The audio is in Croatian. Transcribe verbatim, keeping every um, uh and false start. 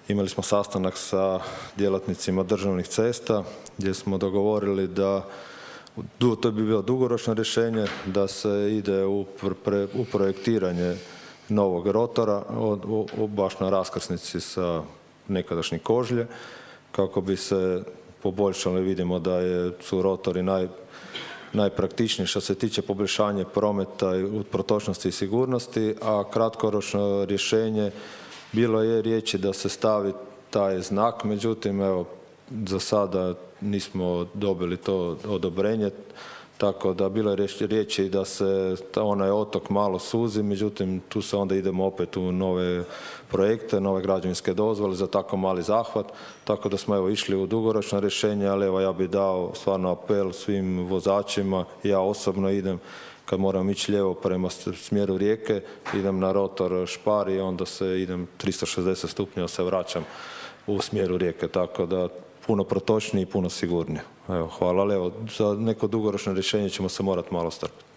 imali smo sastanak sa djelatnicima državnih cesta gdje smo dogovorili da to bi bilo dugoročno rješenje, da se ide u, pre, u projektiranje novog rotora o, o, baš na raskrsnici sa nekadašnji Kožlje, kako bi se poboljšali. Vidimo da je, su rotori naj, najpraktičniji što se tiče poboljšanja prometa u protočnosti i sigurnosti, a kratkoročno rješenje bilo je riječi da se stavi taj znak, međutim evo za sada nismo dobili to odobrenje, tako da bilo je riječi da se onaj otok malo suzi, međutim tu se onda idemo opet u nove projekte, nove građevinske dozvole za tako mali zahvat, tako da smo evo išli u dugoročno rješenje, ali evo ja bih dao stvarno apel svim vozačima, ja osobno idem kad moram ići lijevo prema smjeru Rijeke, idem na rotor Špar i onda se idem tristo šezdeset stupnjeva se vraćam u smjeru Rijeke, tako da puno protočnije i puno sigurnije. Evo, hvala, ali evo, za neko dugoročno rješenje ćemo se morati malo strpiti.